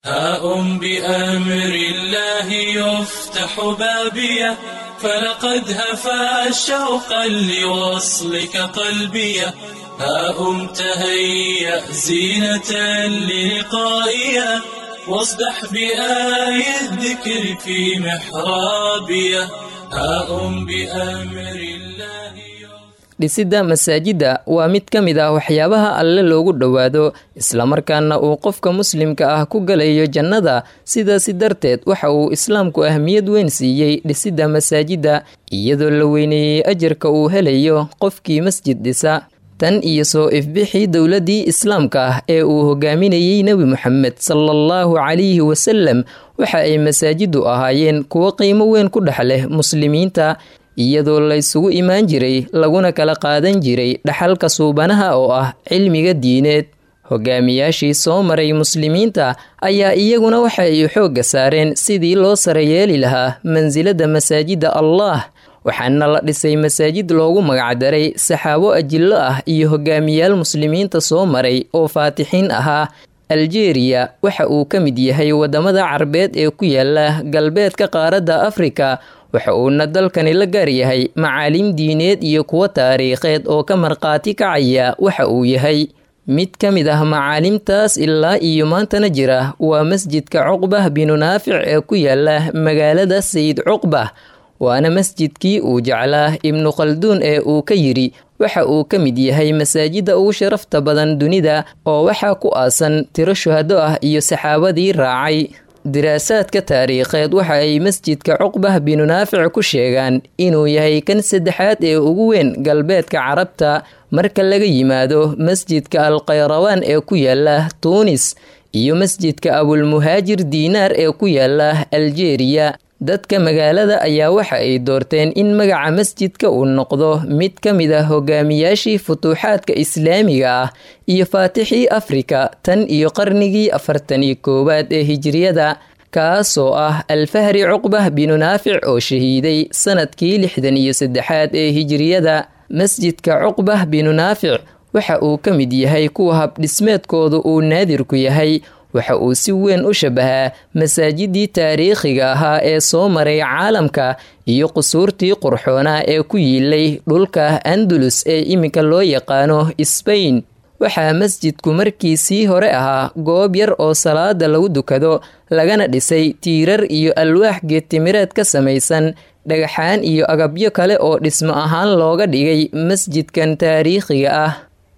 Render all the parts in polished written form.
هاء بأمر الله يفتح بابيه، فلقد هفا شوقا لوصلك قلبيه. هاء تهيأ زينة للقائيه، واصدح بآي الذكر في محرابيه. هاء بأمر الله. Dhisidda masaajidda waa mid ka mid ah waxyaabaha Alle loogu dhowaado, islamarkaana uu qofka muslimka ah ku galayo jannada. Sidaasi darteed waxa uu islaamku ahmiyad weyn siiyey dhisidda masaajidda, iyadoo la weyneeyey ajarka uu helayo qofkii masjid dhisa. Tan iyo soo ifbixii dowladdii islaamka ah ee uu hogaaminayey Nebi Moxamed salaallahu calayhi wasalam, waxa ay masaajiddu ahaayeen kuwo qiimo weyn ku dhex leh muslimiinta, iyadoo laysugu imaan jiray laguna kala qaadan jiray dhaxalka suubanaha oo ah cilmiga diineed. Hogaamiyaashii soo maray muslimiinta ayaa iyaguna waxa ay xoogga saareen sidii loo sare yeeli lahaa mansilada masaajidda Allah, waxaana la dhisay masaajid loogu magacdaray saxaabo ajillo ah iyo hogaamiyaal muslimiinta soo maray oo faatixiin ahaa. Aljeeriya waxa uu ka mid yahay wadamada Carbeed ee ku yaala galbeedka qaaradda Afrika, waxa uuna dalkani la gaar yahay macaalim diineed iyo kuwo taariikheed oo ka markhaati kacaya waxa uu yahay. Mid ka mid ah macaalimtaas ilaa iyo maantana jira waa masjidka Cuqbah binu Naafic ee ku yaala magaalada Sayid Cuqbah, waana masjidkii uu jeclaa Ibnu Khalduun ee uu ka yidhi waxa uu ka mid yahay masaajidda ugu sharafta badan dunida, oo waxaa ku aasan tiro shuhado ah iyo saxaabadii raacay. Diraasaadka taariikheed waxa ay masjidka Cuqbah binu Naafic ku sheegaan inuu yahay kan saddexaad ee ugu weyn galbeedka Carabta marka laga yimaado masjidka Alkhayrawaan ee ku yaala Tuunis iyo masjidka Abulmuhaajir Diinaar ee ku yaala Aljeeriya. Dadka magaalada ayaa waxa ay doorteen in magaca masjidka uu noqdo mid ka mid ah hogaamiyaashii futuuxaadka islaamiga ah iyo faatixii Afrika tan iyo qarnigii 41aad ee hijriyada, kaasoo ah Alfahri Cuqbah binu Naafic oo shahiiday sanadkii 63aad ee hijriyada. Masjidka Cuqbah binu Naafic waxa uu ka mid yahay kuwa habdhismeedkoodu uu naadirku yahay. Waxa uu si weyn u shabahaa masaajidii taariikhiga ahaa ee soo maray caalamka iyo qusuurtii qurxoonaa ee ku yiilay dhulka Andalus ee iminka loo yaqaano Sbain. Waxaa masjidku markii sii hore ahaa goob yar oo salaada lagu dukado, lagana dhisay tiirar iyo alwaax geedtimireed ka samaysan, dhagaxaan iyo agabyo kale oo dhismo ahaan looga dhigay masjidkan taariikhiga ah.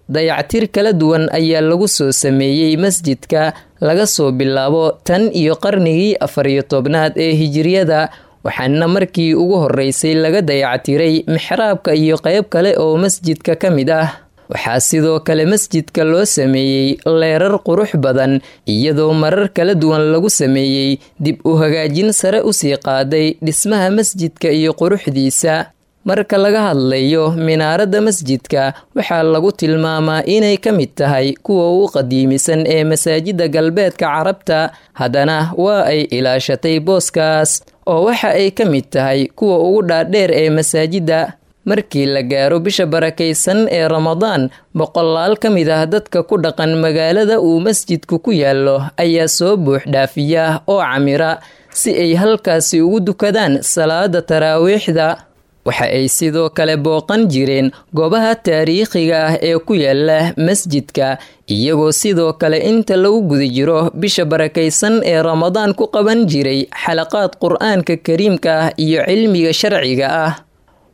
Dayactir kala duwan ayaa lagu soo sameeyey masjidka laga soo bilaabo tan iyo qarnigii 14aad ee hijriyada, waxaana markii ugu horeysay laga dayactiray mixraabka iyo qeyb kale oo masjidka ka mid ah. Waxaa sidoo kale masjidka loo sameeyey leerar qurux badan, iyadoo marar kala duwan lagu sameeyey dib u hagaajin sare usii qaaday dhismaha masjidka iyo quruxdiisa. Marka laga hadlayo minaaradda masjidka, waxaa lagu tilmaamaa inay ka mid tahay kuwa ugu qadiimisan ee masaajidda galbeedka Carabta, haddana waa ay ilaashatay booskaas oo waxa ay ka mid tahay kuwa ugu dhaadheer ee masaajidda. Markii la gaaro bisha barakaysan ee Ramadaan, boqolaal ka mid ah dadka ku dhaqan magaalada uu masjidku ku yaallo ayaa soo buux dhaafiya oo camira si ay halkaasi ugu dukadaan salaada taraawiixda. Waxa ay sidoo kale booqan jireen goobaha taariikhiga ah ee ku yaala masjidka, iyagoo sidoo kale inta lagu guda jiro bisha barakaysan ee Ramadaan ku qaban jiray xalaqaad Qur-aanka kariimka ah iyo cilmiga sharciga ah.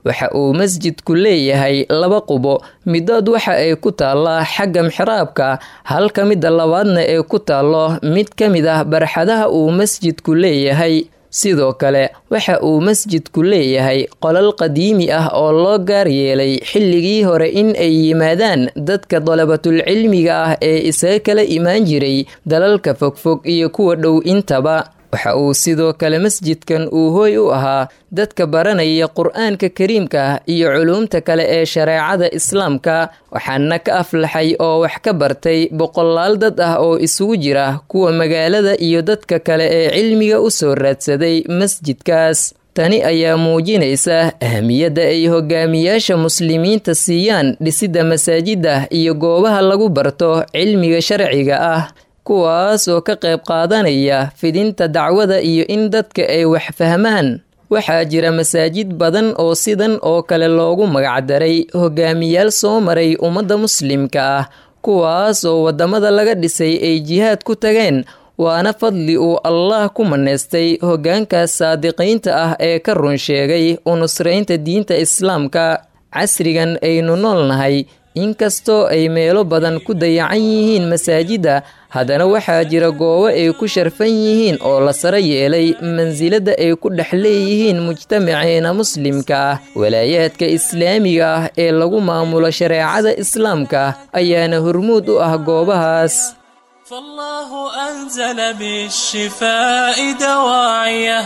Waxa uu masjidku leeyahay laba qubo, midood waxa ay ku taallaa xagga mixraabka, halka midda labaadna ee ku taallo mid ka mid ah barxadaha uu masjidku leeyahay. Sidoo kale waxa uu masjidku leeyahay qolal qadiimi ah oo loo gaar yeelay xilligii hore in ay yimaadaan dadka dalabatulcilmiga ah ee isaga kala imaan jiray dalalka fogfog iyo kuwa dhow intaba. Waxa uu sidoo kale masjidkan uu hooy u ahaa dadka baranaya Qur-aanka kariimka iyo culuumta kale ee shareecada islaamka, waxaana ka aflaxay oo wax ka bartay boqolaal dad ah oo isugu jira kuwa magaalada iyo dadka kale ee cilmiga u soo raadsaday masjidkaas. Tani ayaa muujinaysa ahmiyadda ay hogaamiyaasha muslimiinta siiyaan dhisidda masaajidda iyo goobaha lagu barto cilmiga sharciga ah. kuwaas oo ka qayb qaadanaya fidinta dacwada iyo in dadka ay wax fahmaan. Waxaa jira masaajid badan oo sidan oo kale loogu magacdaray hogaamiyaal soo maray ummadda muslimka ah, kuwaas oo waddamada laga dhisay ay jihaad ku tageen, waana fadli uu Allah ku maneystay hoggaankaas saadiqiinta ah ee ka run sheegay u nusraynta diinta islaamka. Casrigan aynu nool nahay, inkastoo ay meelo badan ku dayacan yihiin masaajidda, haddana waxaa jira goobo ay ku sharfan yihiin oo la sare yeelay mansilada ay ku dhex leeyihiin mujtamaceena muslimka ah. Walaayaadka islaamiga ah ee lagu maamulo shareecada islaamka ayaana hormuud u ah goobahaas. فالله أنزل بالشفاء دواعيه،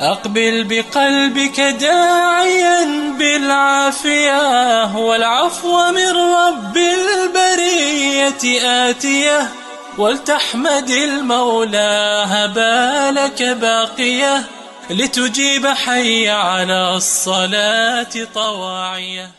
أقبل بقلبك داعيا بالعافية، والعفو من رب البرية آتية، ولتحمد المولى هبالك باقية، لتجيب حي على الصلاة طواعية.